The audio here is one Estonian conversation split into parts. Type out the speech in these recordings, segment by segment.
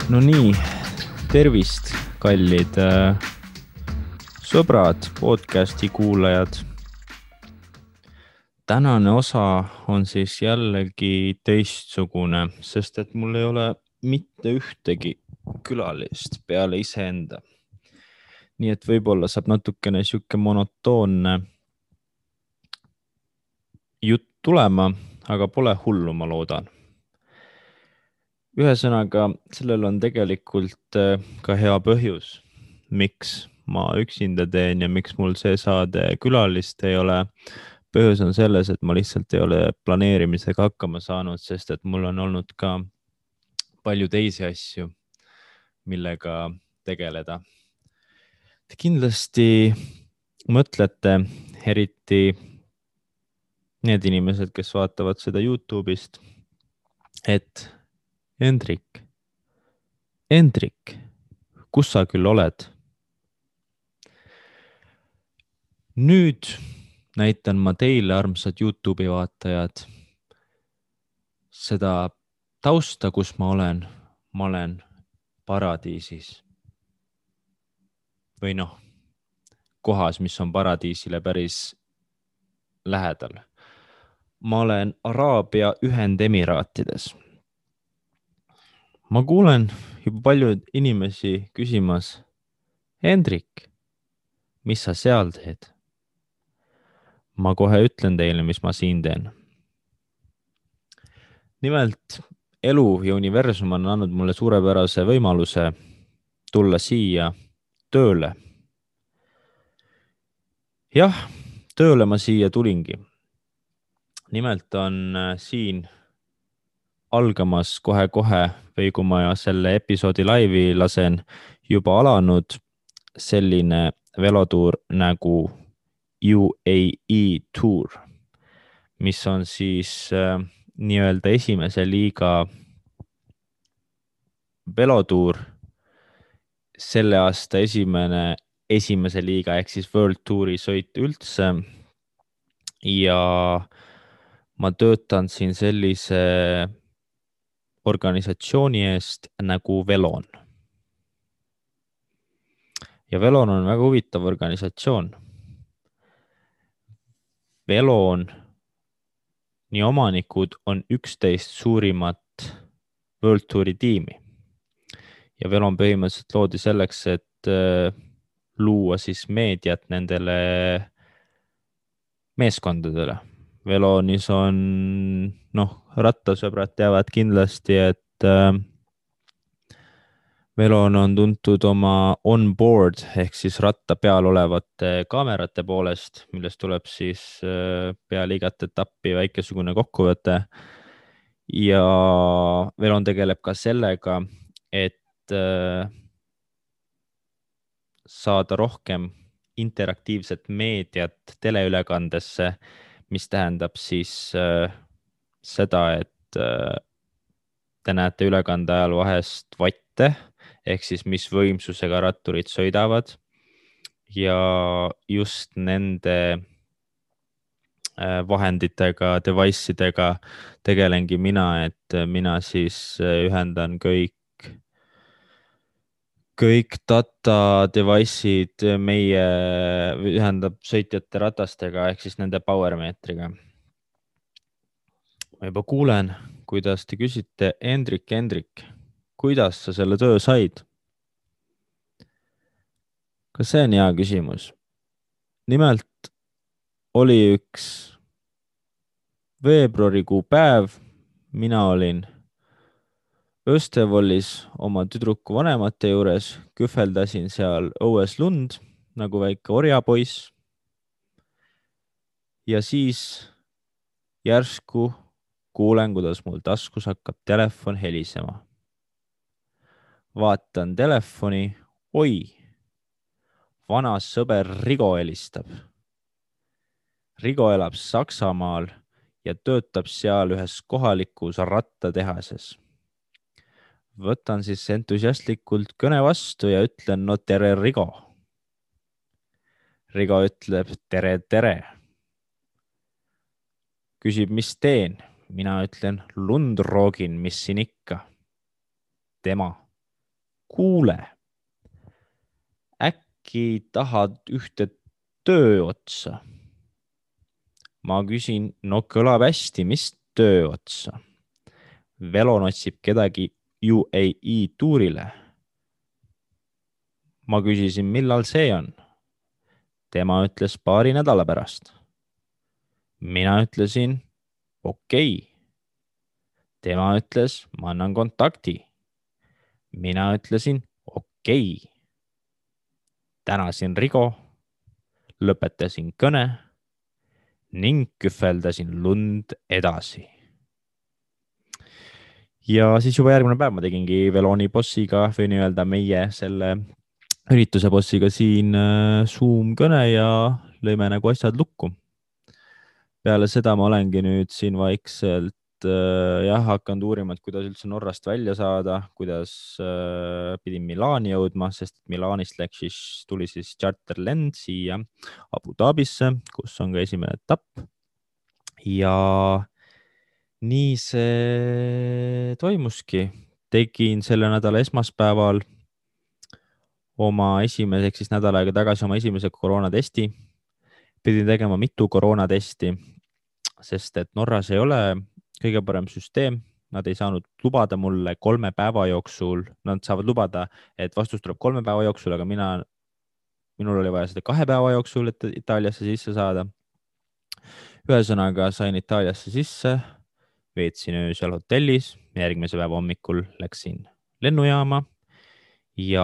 No nii, tervist, kallid sõbrad, podcasti kuulajad. Tänane osa on siis jällegi teistsugune, sest et mul ei ole mitte ühtegi külalist peale iseenda. Nii et võib-olla saab natukene siuke monotoonne jutt tulema, aga pole hullu, ma loodan. Ühesõnaga, sellel on tegelikult ka hea põhjus, miks ma üksinda teen ja miks mul see saade külalist ei ole. Põhjus on selles, et ma lihtsalt ei ole planeerimisega hakkama saanud, sest et mul on olnud ka palju teisi asju, millega tegeleda. Te kindlasti mõtlete, eriti need inimesed, kes vaatavad seda YouTube'ist, et Hendrik, kus sa küll oled? Nüüd näitan ma teile, armsad YouTube'i vaatajad, seda tausta, kus ma olen. Ma olen paradiisis. Või noh, kohas, mis on paradiisile päris lähedal. Ma olen Araabia Ühendemiraatides. Ma kuulen juba palju inimesi küsimas, Hendrik, mis sa seal teed? Ma kohe ütlen teile, mis ma siin teen. Nimelt, elu ja universum on andnud mulle suurepärase võimaluse tulla siia tööle. Jah, tööle ma siia tulingi. Nimelt on siin algamas kohe-kohe või kui ma selle episoodi laivi lasen, juba alanud selline velotuur nagu UAE Tour, mis on siis nii-öelda esimese liiga velotuur, selle aasta esimese liiga ehk siis World Touri sõit üldse. Ja ma töötan siin sellise organisatsiooni eest nagu Velon. Ja Velon on väga huvitav organisatsioon. Velon, nii omanikud on 11 suurimat World Touri tiimi. Ja Velon põhimõtteliselt loodi selleks, et luua siis meediat nendele meeskondadele. Velonis on, rattasõbrad teavad kindlasti, et Velon on tuntud oma on-board ehk siis ratta peal olevate kaamerate poolest, millest tuleb siis peale igat etappi väikesugune kokkuvõte. Ja Velon tegeleb ka sellega, et saada rohkem interaktiivset meediat teleülekandesse, mis tähendab siis seda, et te näete ülekande ajal vahest vatte, ehk siis mis võimsusega ratturid sõidavad. Ja just nende vahenditega, device'idega tegelengi mina, et mina siis ühendan kõik data device'id ühendab sõitjate ratastega ehk siis nende powermeetriga. Ma juba kuulen, kuidas te küsite, Hendrik, kuidas sa selle töö said? Kas see on hea küsimus? Nimelt oli üks veebruarikuu päev, mina olin Östevolis oma tüdruku vanemate juures, kühveldasin seal õues lund nagu väike orjapoiss. Ja siis järsku kuulen, kuidas mul taskus hakkab telefon helisema. Vaatan telefoni, oi, vana sõber Rigo helistab. Rigo elab Saksamaal ja töötab seal ühes kohalikus rattatehases. Võtan siis entusiastlikult kõne vastu ja ütlen, no tere, Rigo. Rigo ütleb, tere. Küsib, mis teen? Mina ütlen, lund roogin, mis siin ikka. Tema, kuule, äkki tahad ühte töö otsa? Ma küsin, no kõlab hästi, mis töö otsa? Velon otsib kedagi UAE tuurile. Ma küsisin, millal see on? Tema ütles paari nädala pärast. Mina ütlesin, okei. Tema ütles, ma annan kontakti. Mina ütlesin, okei. Tänasin Rigo, lõpetasin kõne ning kühveldasin lund edasi. Ja siis juba järgmine päev ma tegingi Veloni bossiga või nii-öelda meie selle ürituse bossiga siin Zoom kõne ja lõime nagu asjad lukku. Peale seda ma olengi nüüd siin vaikselt hakanud uurima, et kuidas üldse Norrast välja saada, kuidas pidin Milani jõudma, sest Milanist tuli siis charterlend siia Abu Dhabisse, kus on ka esimene etapp. Ja nii see toimuski. Tegin selle nädala esmaspäeval ehk siis nädal aega tagasi oma esimese koroonatesti. Pidin tegema mitu koroonatesti, sest et Norras ei ole kõige parem süsteem. Nad ei saanud lubada mulle 3 päeva jooksul. Nad saavad lubada, et vastus tuleb 3 päeva jooksul, aga minul oli vaja seda 2 päeva jooksul, et Itaaliasse sisse saada. Ühesõnaga sain Itaaliasse sisse, veetsin öö seal hotellis, järgmise päeva hommikul läksin lennujaama ja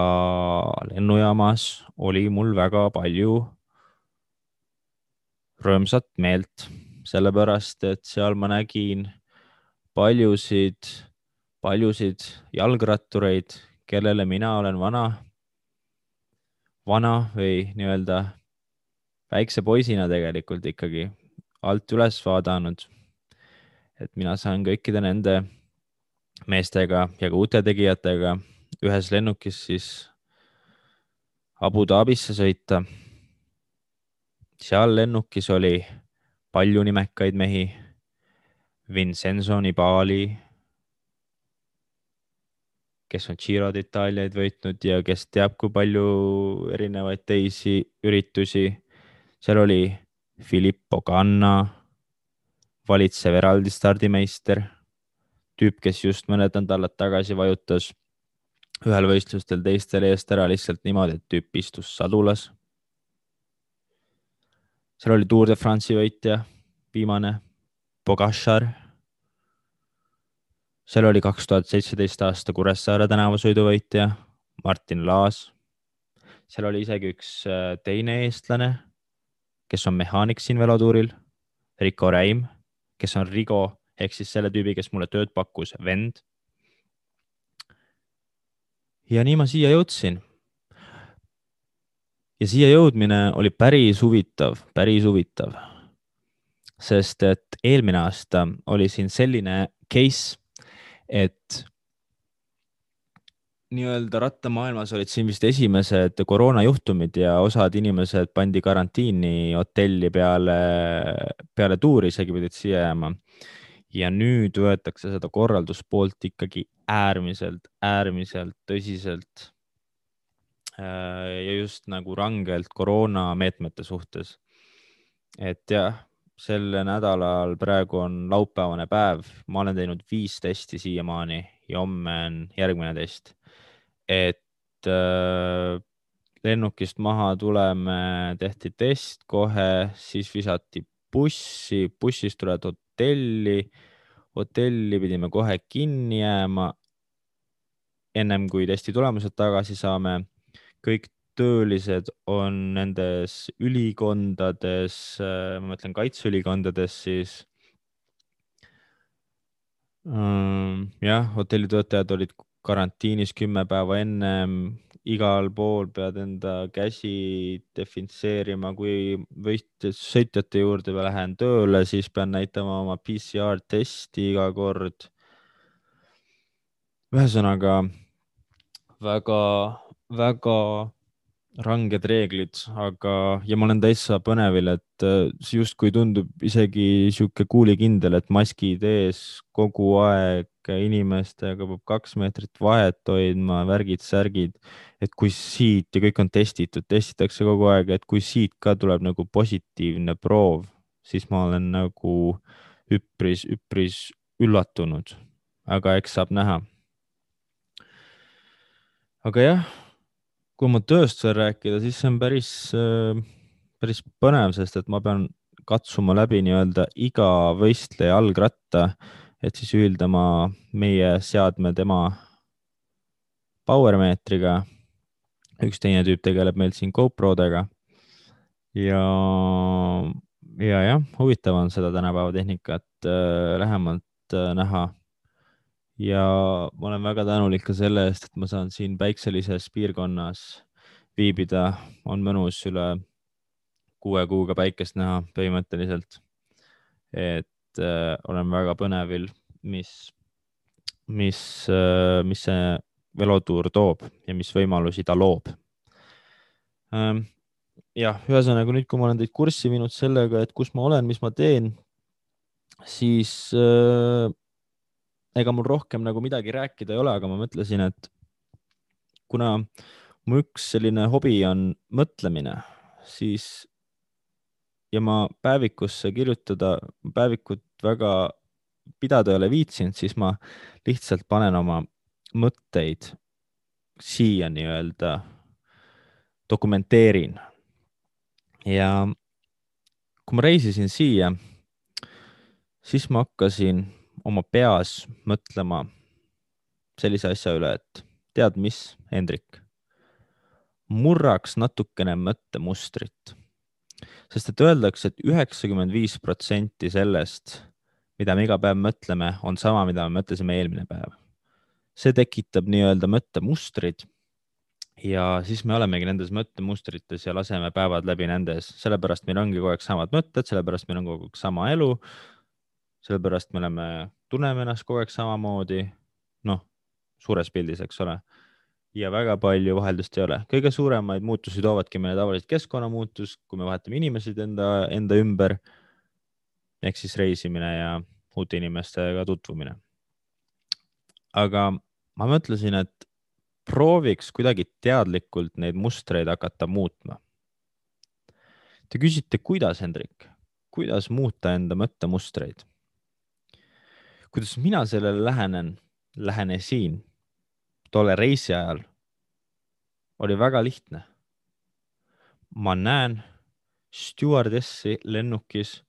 lennujaamas oli mul väga palju rõõmsat meelt, sellepärast et seal ma nägin paljusid jalgrattureid, kellele mina olen vana või nii-öelda väikse poisina tegelikult ikkagi alt üles vaadanud. Et mina saan kõikide nende meestega ja ka uute tegijatega ühes lennukis siis Abu Dhabisse sõita. Seal lennukis oli palju nimekaid mehi. Vincenzo Nibali, kes on Giro d'Italiaid võitnud ja kes teab, kui palju erinevaid teisi üritusi. Seal oli Filippo Ganna, valitsev eraldi stardimeister, tüüp, kes just mõned nädalad tagasi vajutas ühel võistlustel teistel eest ära lihtsalt niimoodi, et tüüp istus sadulas. Seal oli Tour de France'i võitja, viimane, Pogačar. Seal oli 2017 aasta Kuressaare tänavasõiduvõitja, Martin Laas. Seal oli isegi üks teine eestlane, kes on mehaanik siin velotuuril, Rico Räim, kes on Rigo, ehk siis selle tüübi, kes mulle tööd pakkus, vend. Ja nii ma siia jõudsin. Ja siia jõudmine oli päris huvitav. Sest et eelmine aasta oli siin selline case, et nii-öelda rattamaailmas olid siin vist esimesed koroonajuhtumid ja osad inimesed pandi karantiini hotelli peale tuuri, isegi pidid siia jääma. Ja nüüd võetakse seda korralduspoolt ikkagi äärmiselt tõsiselt ja just nagu rangelt koroonameetmete suhtes. Et jah, selle nädalal praegu on laupäevane päev. Ma olen teinud 5 testi siiamaani ja homme on järgmine test. Et lennukist maha tuleme, tehti test kohe, siis visati bussist tuled hotelli pidime kohe kinni jääma. Ennem kui testi tulemused tagasi saame, kõik töölised on nendes ülikondades, ma mõtlen kaitseülikondades siis. Jah, hotellitöötajad olid karantiinis 10 päeva ennem, igal pool pead enda käsi definitseerima, kui sõitjate juurde lähen tööle, siis pean näitama oma PCR-testi iga kord. Ühesõnaga väga ranged reeglid, ja ma olen täitsa põnevil, et see justkui tundub isegi sihuke kuulikindel, et maskid ees kogu aeg, kodanike inimestega peab 2 meetrit vahet hoidma, värgid-särgid, et kui siit ja kõik on testitud, testitakse kogu aeg, et kui siit ka tuleb nagu positiivne proov, siis ma olen nagu üpris üllatunud, aga eks saab näha. Aga jah, kui ma tööst veel rääkida, siis see on päris põnev, sest et ma pean katsuma läbi nii-öelda iga võistleja jalgratta, et siis ühildama meie seadme tema powermeetriga. Üks teine tüüp tegeleb meil siin GoProdega ja, ja jah, huvitav on seda tänapäeva tehnikat lähemalt näha. Ja ma olen väga tänulik ka selle eest, et ma saan siin päikselises piirkonnas viibida, on mõnus üle 6 kuuga päikest näha põhimõtteliselt. Et olen väga põnevil, mis see velotuur toob ja mis võimalusi ta loob. Jah, ühesõnaga nüüd, kui ma olen teid kurssi viinud sellega, et kus ma olen, mis ma teen, siis ega mul rohkem nagu midagi rääkida ei ole, aga ma mõtlesin, et kuna mu üks selline hobi on mõtlemine, siis ja ma päevikusse kirjutada, päevikut väga pidada ei ole viitsinud, siis ma lihtsalt panen oma mõtteid siia nii-öelda dokumenteerin. Ja kui ma reisisin siia, siis ma hakkasin oma peas mõtlema sellise asja üle, et tead mis, Hendrik, murraks natukene mõttemustrit. Sest et öeldakse, et 95% sellest, mida me iga päev mõtleme, on sama, mida me mõtlesime eelmine päev. See tekitab nii-öelda mõttemustrid ja siis me olemegi nendes mõttemustrites ja laseme päevad läbi nendes. Sellepärast meil ongi kogu aeg samad mõtted, sellepärast meil on kogu aeg sama elu, sellepärast me tunneme ennast kogu aeg samamoodi, noh, suures pildis, eks ole. Ja väga palju vaheldust ei ole. Kõige suuremaid muutusi toovadki meile tavaliselt keskkonnamuutus, kui me vahetame inimesed enda ümber, ehk siis reisimine ja uute inimestega tutvumine. Aga ma mõtlesin, et prooviks kuidagi teadlikult neid mustreid hakata muutma. Te küsite, kuidas, Hendrik? Kuidas muuta enda mõttemustreid? Kuidas mina sellele lähenesin tolle reisi ajal, oli väga lihtne. Ma näen stjuardessi lennukis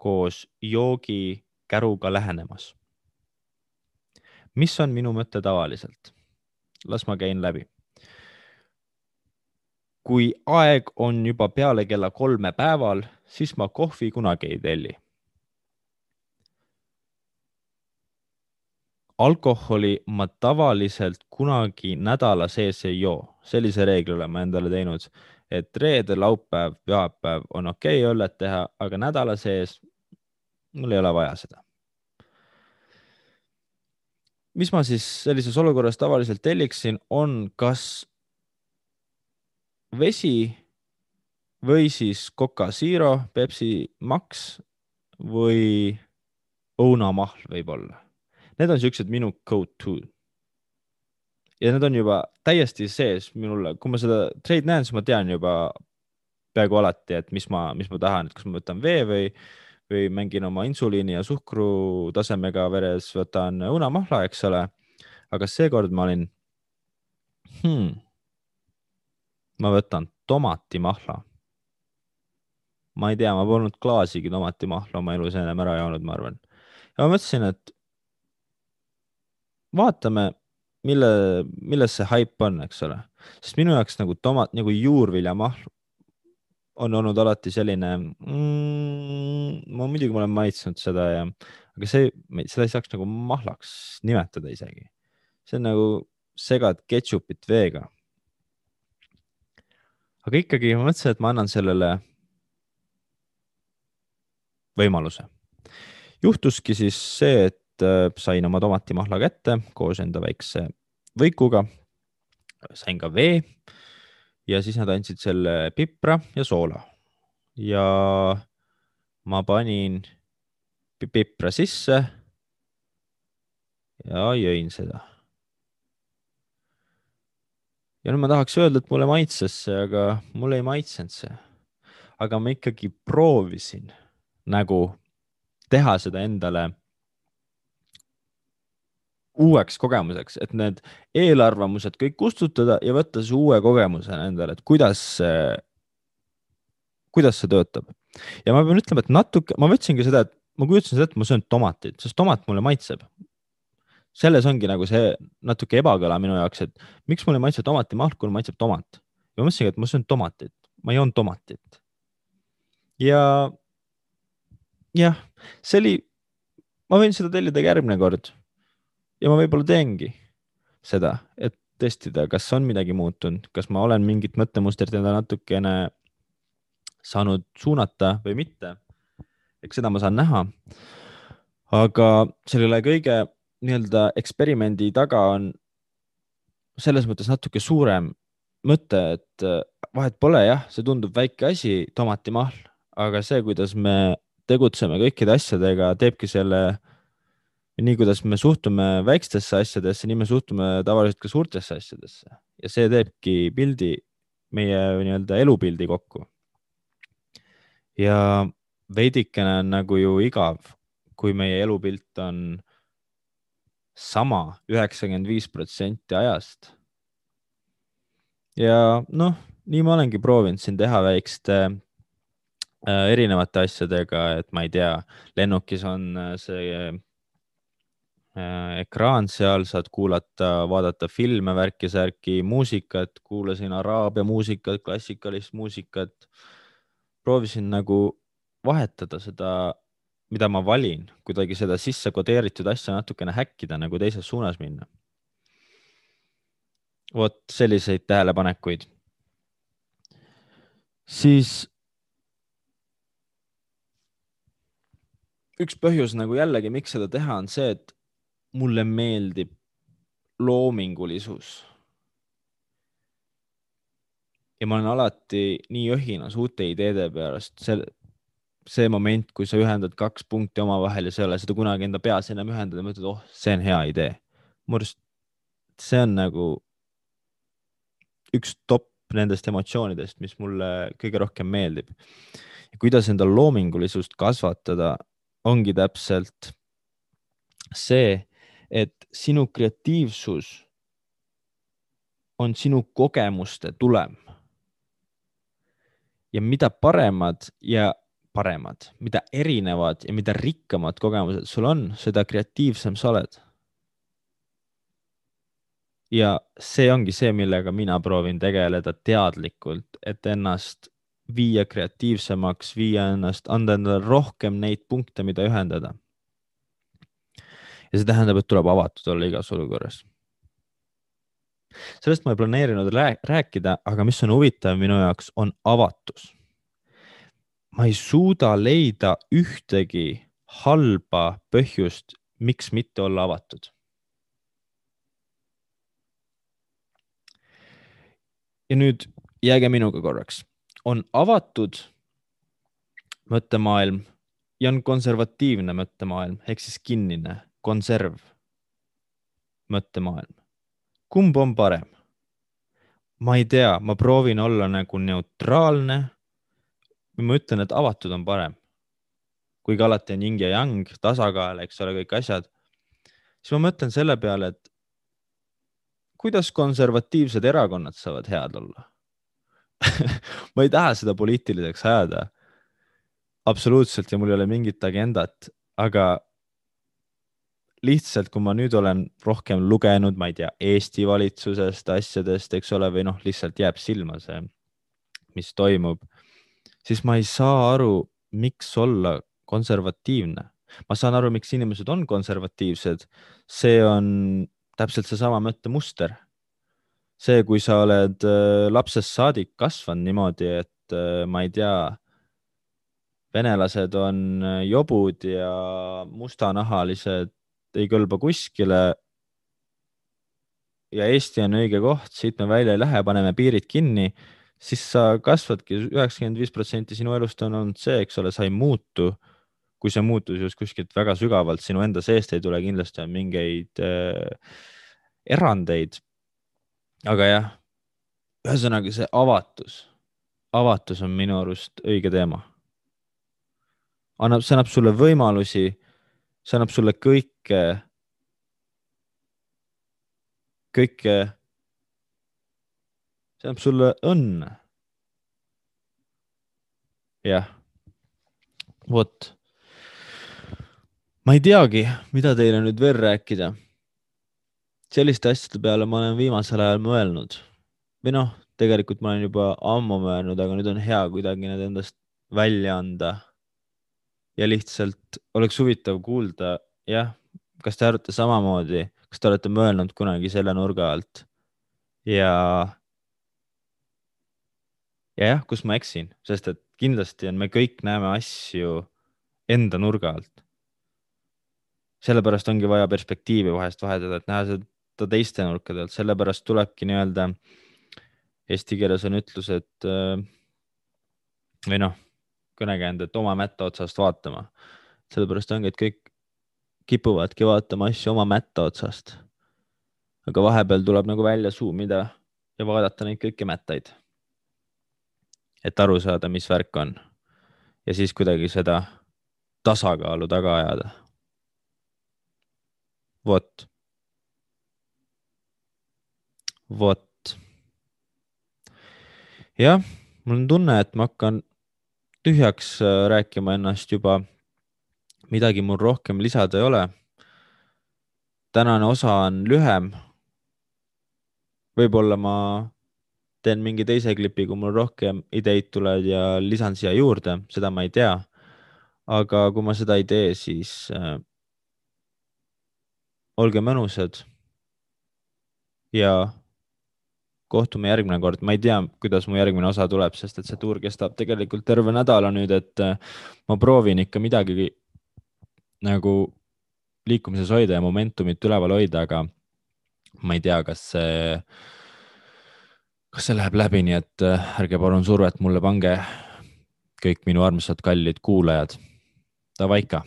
koos joogikäruga lähenemas. Mis on minu mõte tavaliselt? Las ma käin läbi. Kui aeg on juba peale kella 3 päeval, siis ma kohvi kunagi ei telli. Alkoholi ma tavaliselt kunagi nädala sees ei joo. Sellise reegli olen ma endale teinud, et reede, laupäev, pühapäev on okei õllet teha, aga nädala sees mul ei ole vaja seda. Mis ma siis sellises olukorras tavaliselt telliksin, on kas vesi või siis Coca Zero, Pepsi Max või õunamahl võib-olla. Need on siuksed minu go-to. Ja need on juba täiesti sees minule. Kui ma seda treid näen, siis ma tean juba peaaegu alati, et mis ma tahan, et kas ma võtan vee või mängin oma insuliini ja suhkru tasemega veres, võtan õunamahla, eks ole. Aga seekord ma olin, ma võtan tomatimahla. Ma ei tea, ma polnud klaasigi tomatimahla oma elus ennem ära joonud, ma arvan. Ja ma mõtlesin, et vaatame, milles see hype on, eks ole. Sest minu jaoks nagu nagu juurviljamahl on olnud alati selline, ma muidugi olen maitsnud seda aga seda ei saaks nagu mahlaks nimetada isegi. See on nagu segad ketšupit veega. Aga ikkagi ma mõtlesin, et ma annan sellele võimaluse. Juhtuski siis see, et sain oma tomatimahla kätte koos enda väikse võikuga, sain ka vee ja siis nad andsid selle pipra ja soola. Ja ma panin pipra sisse ja jõin seda. Ja nüüd ma tahaks öelda, et mulle maitses see, aga mulle ei maitsenud see. Aga ma ikkagi proovisin nagu teha seda endale uueks kogemuseks, et need eelarvamused kõik kustutada ja võtta see uue kogemusena endale, et kuidas see töötab. Ja ma pean ütlema, et natuke, ma võtsingi seda, et ma kujutasin seda, et ma söön tomatit, sest tomat mulle maitseb. Selles ongi nagu see natuke ebakõla minu jaoks, et miks mulle ei maitse tomatimahl, kui mulle maitseb tomat. Ja ma mõtlesingi, et ma söön tomatit, ma joon tomatit. Ja jah, see oli, ma võin seda tellida ka järgmine kord ja ma võib-olla teengi seda, et testida, kas on midagi muutunud, kas ma olen mingit mõttemustrit enda natukene saanud suunata või mitte. Eks seda ma saan näha. Aga selle kõige nii-öelda eksperimendi taga on selles mõttes natuke suurem mõte, et vahet pole, jah, see tundub väike asi, tomatimahl, aga see, kuidas me tegutseme kõikide asjadega, teebki selle, nii kuidas me suhtume väikestesse asjadesse, nii me suhtume tavaliselt ka suurtesse asjadesse ja see teebki pildi, meie nii-öelda elupildi kokku. Ja veidikene on nagu ju igav, kui meie elupilt on sama 95% ajast. Ja noh, nii ma olengi proovinud siin teha väikeste erinevate asjadega, et ma ei tea, lennukis on see ekraan seal, saad kuulata, vaadata filme, värki-särki, muusikat, kuulasin araabia muusikat, klassikalist muusikat. Proovisin nagu vahetada seda, mida ma valin, kuidagi seda sisse kodeeritud asja natukene häkkida, nagu teises suunas minna. Vot selliseid tähelepanekuid. Siis üks põhjus nagu jällegi, miks seda teha, on see, et mulle meeldib loomingulisus. Ja ma olen alati nii õhinas uute ideede pärast. See moment, kui sa ühendad kaks punkti omavahel ja sa ei ole seda kunagi enda peas enam ühendada ja mõtled, oh, see on hea idee. Mu arust see on nagu üks top nendest emotsioonidest, mis mulle kõige rohkem meeldib. Ja kuidas enda loomingulisust kasvatada, ongi täpselt see, et sinu kreatiivsus on sinu kogemuste tulem. Ja mida paremad, mida erinevad ja mida rikkamad kogemused sul on, seda kreatiivsem sa oled. Ja see ongi see, millega mina proovin tegeleda teadlikult, et ennast viia kreatiivsemaks, anda endale rohkem neid punkte, mida ühendada. Ja see tähendab, et tuleb avatud olla igas olukorras. Sellest ma ei planeerinud rääkida, aga mis on huvitav minu jaoks, on avatus. Ma ei suuda leida ühtegi halba põhjust, miks mitte olla avatud. Ja nüüd jääge minuga korraks. On avatud mõttemaailm ja on konservatiivne mõttemaailm, ehk siis kinnine, konserv mõttemaailm. Kumb on parem? Ma ei tea, ma proovin olla nagu neutraalne. Ma ütlen, et avatud on parem. Kuigi alati on yin ja yang, tasakaal, eks ole, kõik asjad. Siis ma mõtlen selle peale, et kuidas konservatiivsed erakonnad saavad head olla? Ma ei taha seda poliitiliseks ajada. Absoluutselt, ja mul ei ole mingit agendat, aga lihtsalt, kui ma nüüd olen rohkem lugenud, ma ei tea, Eesti valitsusest, asjadest, eks ole, või noh, lihtsalt jääb silma see, mis toimub, siis ma ei saa aru, miks olla konservatiivne. Ma saan aru, miks inimesed on konservatiivsed. See on täpselt seesama mõttemuster. See, kui sa oled lapsest saadik kasvanud niimoodi, et ma ei tea, venelased on jobud ja mustanahalised ei kõlba kuskile ja Eesti on õige koht, siit me välja ei lähe, paneme piirid kinni, siis sa kasvadki 95% sinu elust on olnud see, eks ole, sa ei muutu, kui see muutus just kuskilt väga sügavalt sinu enda seest ei tule, kindlasti on mingeid erandeid. aga jah, ühesõnaga see avatus on minu arust õige teema. See annab sulle võimalusi, see annab sulle kõike, see annab sulle õnne. jah, vot. ma ei teagi, mida teile nüüd veel rääkida. Selliste asjade peale ma olen viimasel ajal mõelnud. Või noh, tegelikult ma olen juba ammu mõelnud, aga nüüd on hea kuidagi need endast välja anda. Ja lihtsalt oleks huvitav kuulda, jah, kas te arvate samamoodi, kas te olete mõelnud kunagi selle nurga alt? Ja jah, kus ma eksin, sest et kindlasti on, me kõik näeme asju enda nurga alt. Sellepärast ongi vaja perspektiivi vahest vahetada, et näha seda teiste nurkade alt, sellepärast tulebki nii-öelda, eesti keeles on ütlus, et või noh, kõnekäänd, et oma mätta otsast vaatama. Sellepärast ongi, et kõik kipuvadki vaatama asju oma mätta otsast. Aga vahepeal tuleb nagu välja suumida ja vaadata neid kõiki mättaid. Et aru saada, mis värk on. Ja siis kuidagi seda tasakaalu taga ajada. Vot. Jah, mul on tunne, et ma hakkan tühjaks rääkima ennast juba. Midagi mul rohkem lisada ei ole. Tänane osa on lühem. Võib-olla ma teen mingi teise klipi, kui mul rohkem ideid tuleb ja lisan siia juurde, seda ma ei tea. Aga kui ma seda ei tee, siis olge mõnusad ja kohtume järgmine kord. Ma ei tea, kuidas mu järgmine osa tuleb, sest et see tuur kestab tegelikult terve nädala nüüd, et ma proovin ikka midagi nagu liikumises hoida ja momentumit üleval hoida, aga ma ei tea, kas see läheb läbi, nii et ärge palun survet mulle pange, kõik minu armsad kallid kuulajad. Davaika.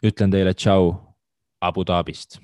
Ütlen teile tšau Abu Dhabist.